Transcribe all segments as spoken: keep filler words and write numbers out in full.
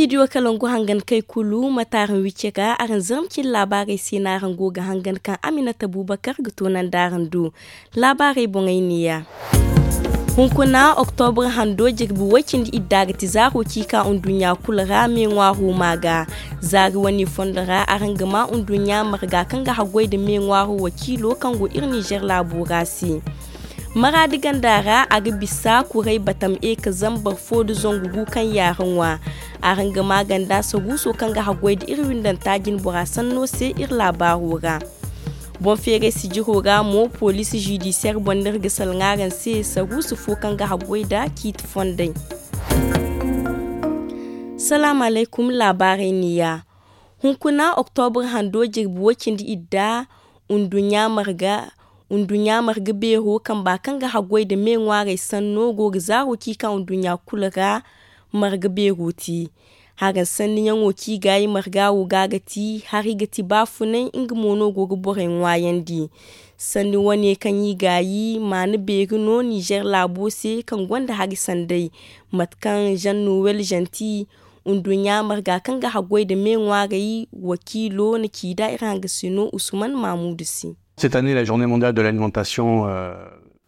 Studio kalangu hangan kay kulu mate araŋ wicce ga araŋ zarma cine laabaarey se no araŋ go ga hangan kaŋ aminata bubakar ga toonandi araŋ do. Laabaarey boŋey neeya. Hunkuna oktobra hando jirbi way cindi idda ga ti zaaro ciika nduɲɲa kulu ra me ŋwaaro ma ga. Zaari wane fondo ra araŋ ga ma nduɲɲa marga kaŋ ga haggoy nda me ŋwaaro wakiilo kaŋ go iri nizer laabo ra se. Maraadi ganda ra a ga bisa kuray batam e ka zambar fo nda zangu gu kaŋ yaara ŋwa. Araŋ ga ma ganda saruuso kaŋ ga haggoy nda iri windanta jinbora sanno se iri laabaaro ra. Boŋ feeray sijiro ra mo poliisi zidiseer boŋ no iri ga salaŋ araŋ se saruusu fo kaŋ ga haggoy nda ciiti fondey. Salaamu alaykum. Laabaarey neeya. Hunkuna oktobra hando jirbi way cindi idda nduɲɲa marga beero kamba kaŋ ga haggoy nda me ŋwaarey sanno go ga zaaro ciika nduɲɲa kulu ra. Marga beero te haran sanniyaŋo kaŋ i gaayi marga wo ga ga ti hari ga ti baafunay nga mo no go ga borey ŋwaayandi. Sanni wane kaŋ i gaayi maana beeri no nizer laabo se kaŋ gonda hari sanday. Mate kaŋ zanno welzanti nduɲɲa marga kaŋ ga haggoy nda me ŋwaarey wakiilo na ci nda iri hangasino usman maamuudu se. Cette année la journée mondiale de l'alimentation.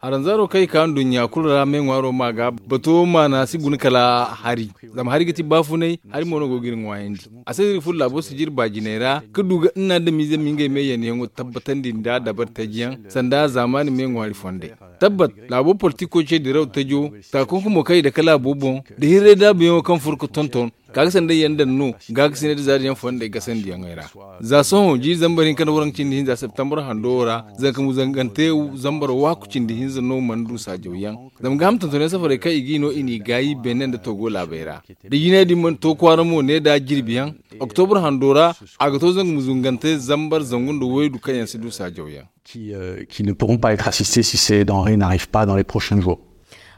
Haranzaaro kaŋ i ka nduɲɲa kulu ra me ŋwaaro ma ga bato maana si guna kala hari. Zama hari ga ti baafunay hari mo no go ga iri ŋwaayandi. A se no iri furo laabo sijiri baajinay ra ka du ga nna adamize ma ngey me yanayaŋo tabbatandi nda dabari taji yaŋ sanda zaamaani me ŋwaari fondey. Tabbat laabo politiko ce diraw tajo taakunku mo kaŋ i dake laabo boŋ nda hirray daabuyaŋo kaŋ furo ga tonton gaakasinay yaŋ daŋ no gaakasinay nda zaari yaŋ fondey gasandiyaŋey ra. Za sohõ jiiri zambar hinka nda waranka cindi hinza septembre hando wo ra zanka muzangante zambar waaku cindi hinza no mana du saajaw yaŋ. Zama gaaham tontonyaŋ safarey kaŋ i g'i no i n'i gaayi beene nda togo laabey ra da jinay din mana to kwaara mo ne da jirbi yaŋ. Oktobra hando ra a ga to zangu ma zungante zambar zangu nda waydu kaŋ yaŋ si du saajaw yaŋ. Qui ne pourront pas être assistés si ces denrées n'arrivent pas dans les prochains jours.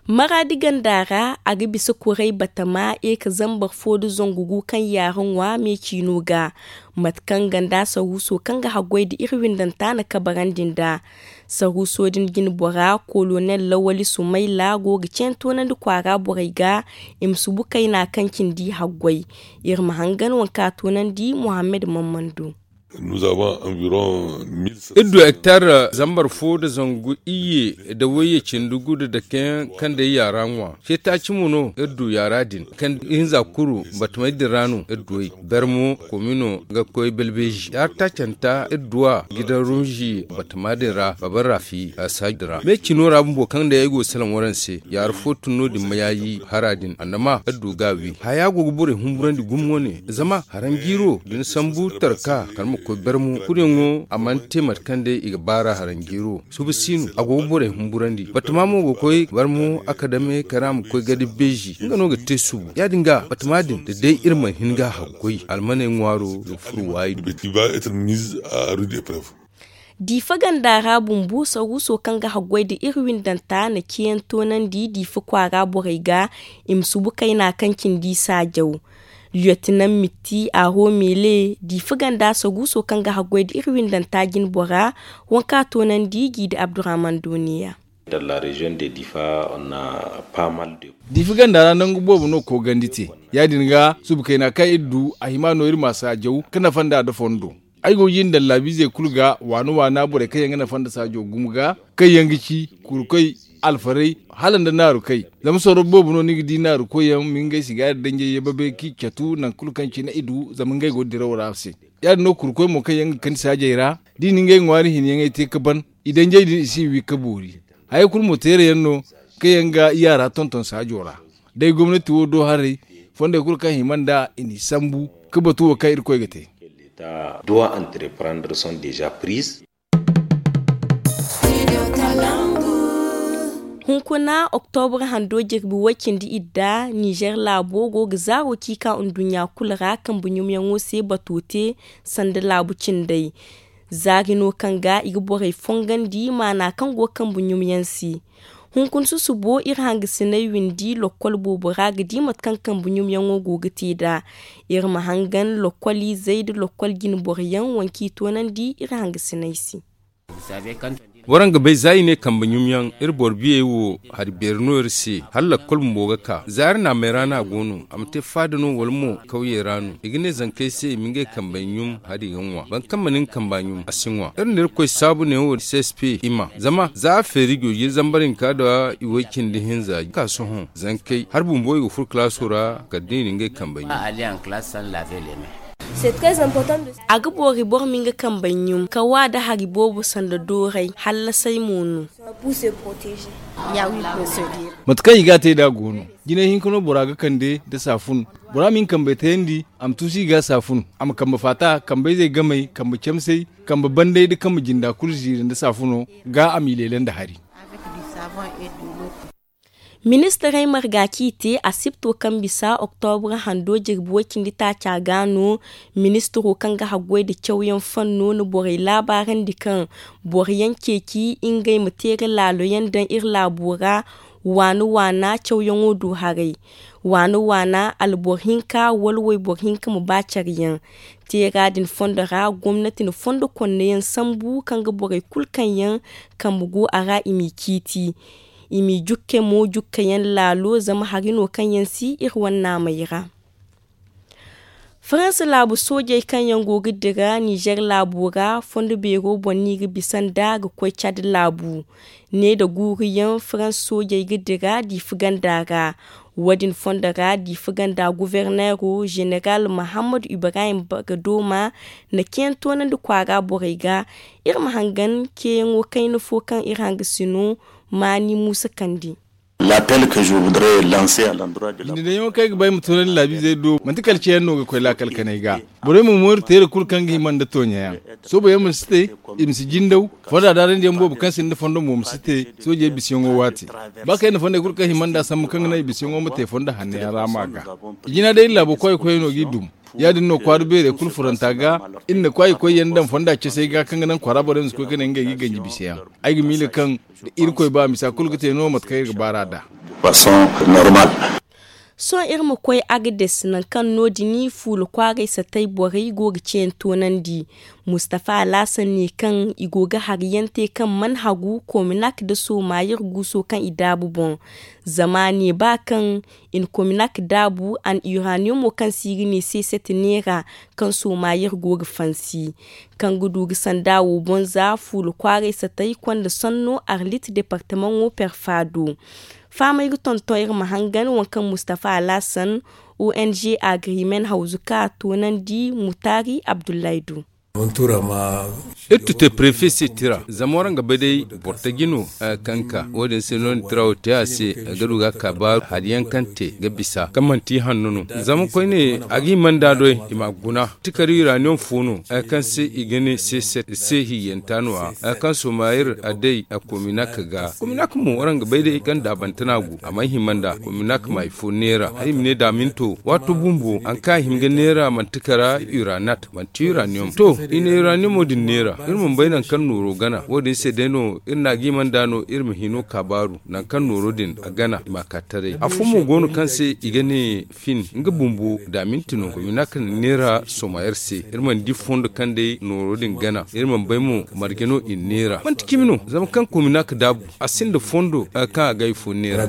Maraadi ganda ra a ga bisa kuray batama e ka zambar fo nda zangu gu kaŋ yaara ŋwa me ciino ga. Mate kaŋ ganda saruuso kaŋ ga haggoy nda iri windanta na kabarandi nda saruuso din jinbora kolonel lawali sumayla go ga ceentoonandi kwaara borey ga i ma subu kayna kaŋ cindi haggoy. Iri ma hangan waŋ kaŋ a toonandi muhammad mammando. Iri du hektar zambar fo nda zangu iyye nda wayye cindi gu nda dakeyaŋ kaŋ day yaara ŋwa. Ceetaaci mo no iri du yaara din kaŋ ihinza kuru batamey din ra no iri du ay. Bermo komino ga koy belbeezi yaara taacanta iri du a gidan rumzi batama din ra baba rafi a saaji din ra me cino ra bumbo kaŋ day ay go ga salaŋ waraŋ se. Yaara fo tun no- din ma yaayi hara din annama iri du ga a wi haya go ga borey humburandi gumo wane zama haranjiiro da ni sambu tarka kala ma koy barmo kuryaŋo a mana te mate kaŋ day i ga baar'a haranjiiro suba si no a go ga borey humburandi batama mo ga koy barmo a kadame kala a ma koy gadi beezi nga no ga te subu ya- din ga batama din da day iri mana hin ga a haggoy almaney ŋwaaro ga furo waayi. Diifa ganda ra bumbo saruuso kaŋ ga haggoy nda iri windanta na ceeyaŋ toonandi diifa kwaara borey ga i ma subu kayna kaŋ cindi saajaw. Liyotinan mitti aro meele diifa ganda saruuso kaŋ ga haggoy nda iri windanta jinbora waŋ kaŋ a toonandi jiidi abdurrahman dooniya. Diifa ganda ra nangu boobo no koogandi te ya- din ga subu kayna kaŋ iri du a hima no iri ma saajaw ka nafa nd'a nda fondo. Ay go ga jin daŋ laabiizey kulu ga waana waana borey kaŋ yaŋ ga nafa nda saajo gumo ga kaŋ yaŋ ga ci kurkoy alfarey hala nda naarukey. Zama sorro boobo no ni ga di naarukoyyaŋ ma ngey sigaari danjey ye babey kaŋ i catu nangu kulu kaŋ cine i du zama ngey go diraw ra se. Ya- din no kurkoy mo kaŋ yaŋ ga kani saajey ra da i na ngey ŋwaari hinyaŋey te ga ban i danjey din i si i wi ga boori. Hayey kulu mo teerayaŋ no kaŋ yaŋ ga yaara tonton saajo ra. Day gomnati wo do haray fondey kulu kaŋ hima nd'a i n'i sambu ga batu wo kaŋ irkoy ga te. Hunkuna oktobra hando jirbi way cindi idda nizer laabo go ga zaaro ciika nduɲɲa kulu ra kambe ɲumyaŋo se bato te sanda laabu cindey. Zaari no kaŋ ga i ga borey fongandi maana kaŋ go kambe ɲumyaŋ se. Hunkuna susubo iri hangasiney windi lokkol boobo ra ga di mate kaŋ kambe ɲumyaŋo go ga te nd'a. Iri ma hangan lokkol izey nda lokkol jinboroyaŋ waŋ kaŋ i toonandi iri hangasiney se. Waraŋ ga bay za i ne kambe ɲum yaŋ iri boro biyey wo hari beeri no iri se hala lakkol bumbo ga ka za iri naamey ra no a go no a ma te faada no wala mo kawyey ra no i ga ne zankey se i ma ngey kambey ɲum hari ga ŋwa boro kaŋ mana nga kamba ɲum a si ŋwa iri na irkoy saabu ne wo csp i ma zama za a feeri go ga iri zambar hinka nda i way cindi hinza ga ka sohõ zankey hari bumbo i ga furo kalaaso ra kala da i na ngey kambey ɲum. A ga boori boro ma nga kambey ɲum ka wa nda hari boobo sanda dooray hallasay mo no. Mate kaŋ i ga a te nd'a go no jinay hinka no bora ga kande nda saafun bora ma hin kambey tayandi a ma tuusu i ga saafun a ma kambe faata kambe-izey gamey kambe camsey kambe banday nda kambe jinda kulu ziiri nda saafuno ga a m'i leele nda hari. Ministirey marga kaŋ i te asipto kaŋ bisa oktobra hando jirbi way-cindi-taaca ga no. Ministiro kaŋ ga haggoy nda cawyaŋ fanno na borey laabaarandi kaŋ boro yaŋ ceeci ngey ma teera laalo yaŋ daŋ iri laabo ra waana waana cawyaŋo do haray. Waana waana alboro hinka wala wayboro hinka ma ba care yaŋ. Teera din fondo ra gomnati na fondo konne yaŋ sambu kaŋ ga borey kulu kaŋ yaŋ kambe go a ra i m'i ciiti. I m'i jukke mo jukkayaŋ laalo zama hari no kaŋ yaŋ si iri wane naamey ra. Faransa laabu soojey kaŋ yaŋ go ga dira nizer laabo ra fondo beero boŋ no i ga bisa nd'a ga koy cad laabu. Ne nda guuru yaŋ faransa soojey ga dira diifa ganda ra. Wo- din fondo ra diifa ganda guverneero zeneral mahammad ibrahim bagadoma na ceeyaŋ toonandi kwaara borey ga. Iri ma hangan ceeyaŋo kayna fo kaŋ iri hanga sino maani muusa kandi. Jindeyaŋo kaŋ ay ga ba ay ma toonandi laabiizey do manti kala ceeyaŋ no ga koy laakal kanay ga. Borey ma mooru teera kulu kaŋ ga hima nda tooɲayaŋ. Sooboyaŋ ma si te, i ma si jindaw. Fonda daarandiyaŋ boobo kaŋ sinda fondo mo ma si te. Soojey bisayaŋo waati ba kayna fondey kulu kaŋ hima nd'a sambu kaŋ ga naŋ i bisayaŋo ma te fondo hanno yaŋ ra ma ga. I jina day iri laabo koyey koyey no g'i dum. Ya- din no kwaara beerey kulu furanta ga. Iri na kwaay koyyaŋ daŋ fonda casey ga kaŋ ga naŋ kwaara borey ma si koy ga ne ngey ga i ganji bisayaŋ. Ay ga miila kaŋ da irkoy ba misa kulu ga te no mate kaŋ iri ga baar'a nd'a. Sohõ iri ma koy agades nangu kaŋ no- din fuula kwaaray satay borey go ga ceeyaŋ toonandi. Mustafa alaasan ne kaŋ i go ga hari yaŋ te kaŋ mana hagu kominak nda soomaayir guuso kaŋ i daabu boŋ. Zama a ne ba kaŋ i na kominak daabu a na iraniyamo kaŋ se i ga ne seeset neera kaŋ soomaayir go ga fansi kaŋ ga du ga sanda wo boŋ za fuula kwaaray satay konda sanno arlit departamaŋo perfaado. Fahamay ga tonton iri ma hangan waŋ kaŋ mustafa alaasan ong agreement hawzu ka a toonandi mutaari abdullahi do. Iri tute prefe se tira zama waraŋ ga bay day boro taji no kaŋ ka wo- din se no ni tira wo te a se ga du ga a kaabaaru hari yaŋ kaŋ te ga bisa kaŋ manti hanno no. Zama koyne a ga hima nd'a doy i m'a guna. Tikari uranium fo no kaŋ se i ga ne se hiyyanta no- ya kaŋ somayir a day a kominak ga kominak mo waraŋ ga bay day kaŋ daabante no a go a mana hima nd'a kominak ma hari fo neera hari i ma ne daaminto waato bumbo hari kaŋ a hima ga neera manti kala uranat manti uranium to i na uraniumo din neera iri mana bay nangu kaŋ nooro gana wo- din se day no iri na a ga hima nd'a no iri ma hino kaabaaru nangu kaŋ nooro din a gana i m'a ka taray afo mo go no kaŋ se i ga ne fin nga bumbo daaminti no kominak na neera somayir se iri mana di fondo kaŋ day nooro din gana iri mana bay mo marje no i na neera manti cimi no zama kaŋ kominak daabu a sinda fondo kaŋ a ga hari fo neera.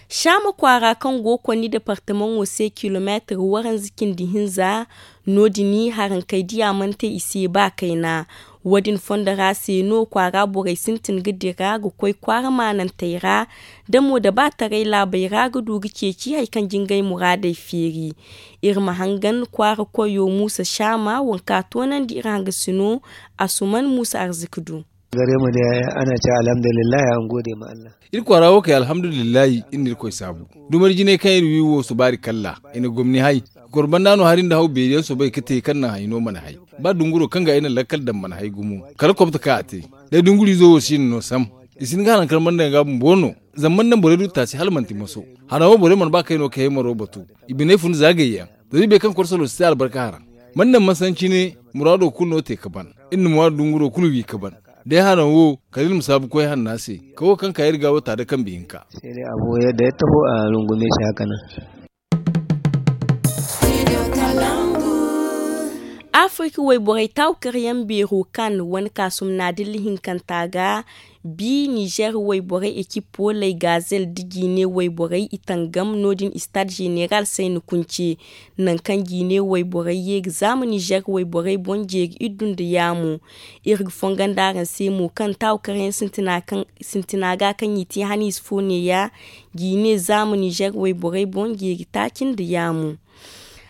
Saama kwaara kaŋ go ga konni departamaŋo se kilomeetir waranza cindi hinza no- din harankey diya mana te i se ba kayna. Wo- din fondo ra se no kwaara borey sintin ga dira ga koy kwaara maanantey ra da mo da ba taray laabey ra ga du ga ceeci hari kaŋ jingay muraadey feeri. Iri ma hangan kwaara koyo muusa saama waŋ kaŋ a toonandi iri hangasino asuman muusa arziki du. Gare mu dai ana ce alhamdulillahi an gode ma Allah. Iri kwaara wo kay alhamdulillahi iri na irkoy saabu. Dumari jinay kaŋ iri wi wo subaari kalla i na gomni hay. Kor banda no hari nda haw beeri yaŋ soobay ga te kaŋ naŋ hay no mana hay. Ba dunguro kaŋ ga ay na lakkal daŋ mana hay gumo kala kobto kaŋ a te. Day dungurizo wo si na no sam. I si hin ga hanaŋ kala mana daŋ ga bumbo no. Zama mana daŋ borey du taasi hala manti moso. Hanaŋ wo borey mana ba kayno kay maro batu. I biney fun za gayyaŋ. Zama i bay kaŋ korsalo si te albarka haraŋ. Mana daŋ masancine muraado kulu no te ga ban. Iri na muraado dunguro kulu wi ga ban. Day hanaŋ wo kala iri ma saabu koy hanna se. Kawo kaŋ ka iri ga wo taada kambe hinka. Sai dai abu yadda ya taho a rungume shi haka nan. Afirka wayborey taawukaryaŋ beero kan wane kaasum naadilla hinkanta ga, bi nizer wayborey ekipo lay gazel da jiine wayborey i tangam no- din istad zeneral sayni kunce. Nangu kaŋ jiine wayborey ye ga zaama nizer wayborey boŋ jeeri iddu nda yaamo. Iri ga fongondi araŋ se mo kaŋ taawukaryaŋ sintina ga kaŋ i te haniize fo neeya jiine zaama nizer wayborey boŋ jeeri taaci nda yaamo.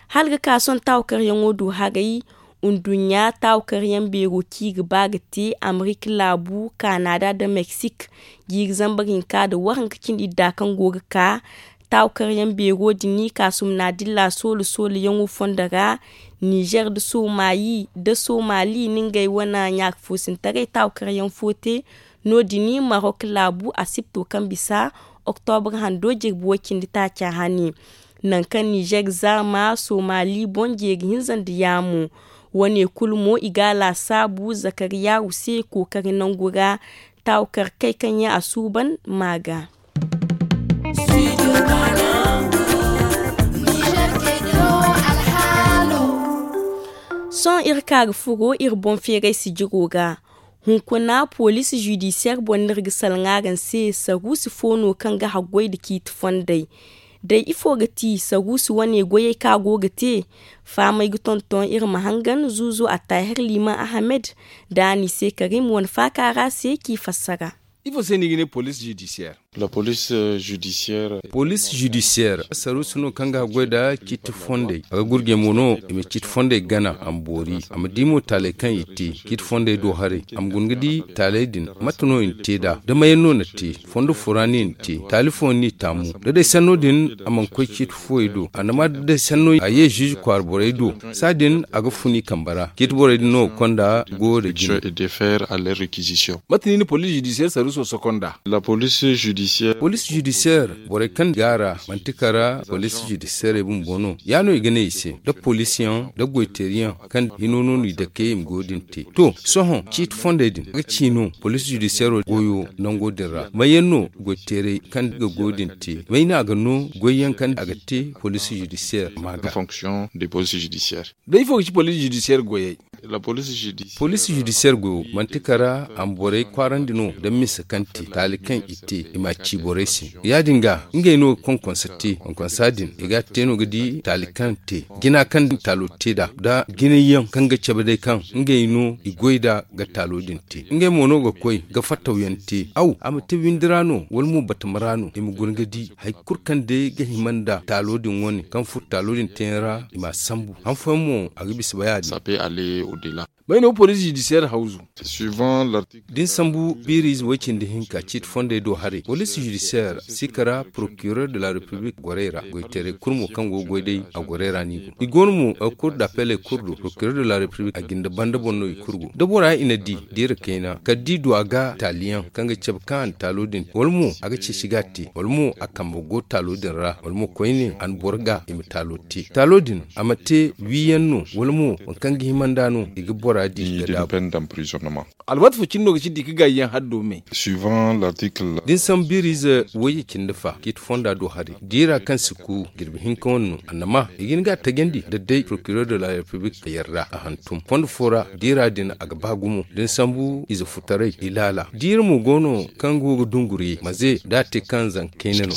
Hala ga ka sohõ taawukaryaŋo du haray. Nduɲɲa taawukaryaŋ beero kaŋ i ga ba ga te amerika laabu kanada nda meksik jiiri zambar hinka nda waranka cindi idda kaŋ go ga ka. Taawukaryaŋ beero din kaasum naadilla soolo sooloyaŋo fondo ra nizer nda somali nda somali na ngey wane ɲaaka foosintaray taawukaryaŋ fo te. No- din marok laabu asipto kaŋ bisa oktobre hando jirbi way- cindi taaca hane. Nangu kaŋ nizer zaama somali boŋ jeeri hinza nda yaamo. Wane kulu mo i ga a laasaabu zakariya wuse kookari nangu ra. Taawukar kay kaŋ yaŋ a suuban ma ga. Sohõ iri ka ga furo iri boŋ feeray sijiro ga. Hunkuna police judiciaire boŋ no iri ga salaŋ araŋ se saruusi fo no kaŋ ga haggoy nda ciiti fondey. Day ifo ga ti saruusi wane goyey kaŋ a go ga te? Fahamey ga tonton iri ma hangan zuuzu attahir liman ahamed nda a n'i se karim wane faaka ra se k'i fassara. Ifo se no i ga ne police judiciaire? Police judiciaire saruusi no kaŋ ga haggoy nda ciiti fondey a ga gurjey mo no i ma ciiti fondey gana a ma boori a ma di mo taaley kaŋ i te ciiti fondey do haray. A ma guna ga di taaley din mate no i na te nd'a da mayaŋ no na te fondo fo ra no i na te taali fooyaŋ no i taamu. Da day sanno din a mana koy ciiti fooyey do a na ma da day sanno a ye ziize kwaara borey do. Saa din a ga fun i kambe ra ciiti borey din no ga konda goyo da jine. Mate no i na police judiciaire saruuso sokonda? Police judiciaire borey kaŋ gaara manti kara police judiciaire bumbo no ya no i ga ne i se da poliisiyaŋ da goyteeriyaŋ kaŋ hino no no i dake i ma goyo din te. To sohõ ciiti fondey din a ga ci no police judiciaire goyo nango din ra mayaŋ no goyteerey kaŋ ga goyo din te may no a ga no goyyaŋ kaŋ a ga te police judiciaire ma ga. Da ifo ga ci police judiciaire goyey? Police judiciaire goyo manti kara a ma borey kwaarandi no da misa kaŋ te taali kaŋ i te i m'a ci borey se. Ya- din ga ngey no ga konkonsa te konkonsa din i ga a te no ga di taali kaŋ te jina kaŋ taalo te nd'a da jinay yaŋ kaŋ ga cabe day kaŋ ngey no i goy nd'a ga taalo din te ngey mo no ga koy ga fattawyaŋ te aw a ma te windi ra no wala mo batama ra no i ma guna ga di hari kulu kaŋ day ga hima nda taalo din wane kaŋ furo taalo din teeyaŋ ra i m'a sambu han fooyaŋ mo a ga bisa ba ya- din. May no police judiciaire hawzu? Da ni sambu biiriize way- cindi hinka ciiti fondey do haray police judiciaire si kara procureur de la république gorey ra goyteerey kulu mo kaŋ go ga goy day a gorey ra no i go i go no mo cour d'appeley kulu do procureur de la république a jinde banda boŋ no i kulu go da bora i na di diira kayna kala da i du a ga taaliyaŋ kaŋ ga cabe kaŋ a na taalo din wala mo a ga ceeci ga a te wala mo a kambe go taalo din ra wala mo koyne a na boro ga i ma taalo te taalo din a ma te wiiyaŋ no wala mo waŋ kaŋ ga hima nd'a no i ga bora di ga daabu. Alwaati fo cine no ga ci di ga gaayi yaŋ haddo me. Da ni sambu biiriize wayye cindi fa ciiti fonda do hari diira kaŋ si ku jirbi hinka wane no annama i ga hin ga a tajandi da day procureur de la république a yarda a hantum fondo fo ra diira din a ga ba gumo da ni sambu ize futaray i laala diira mo go no kaŋ go ga dunguri maze da a te kaŋ zanka kayna no.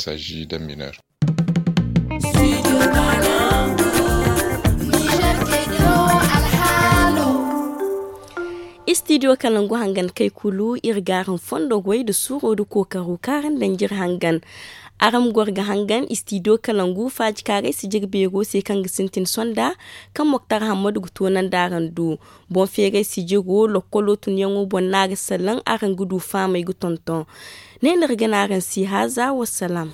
Istidiyo kalangu hangan kay kulu iri ga araŋ fondo goy nda suuro nda kookaro kaŋ araŋ daŋ jire hangan. Araŋ ma goro ga hangan istidiyo kalangu faaji kaaray sijir beero se kaŋ ga sintin sonda kaŋ moktar hammadu ga toonandi araŋ do. Boŋ feeray sijiro lokkolo tunyaŋo boŋ no a ga salaŋ araŋ ga du faamay ga tonton. Ne no iri ga ne araŋ se haaza wassalaam.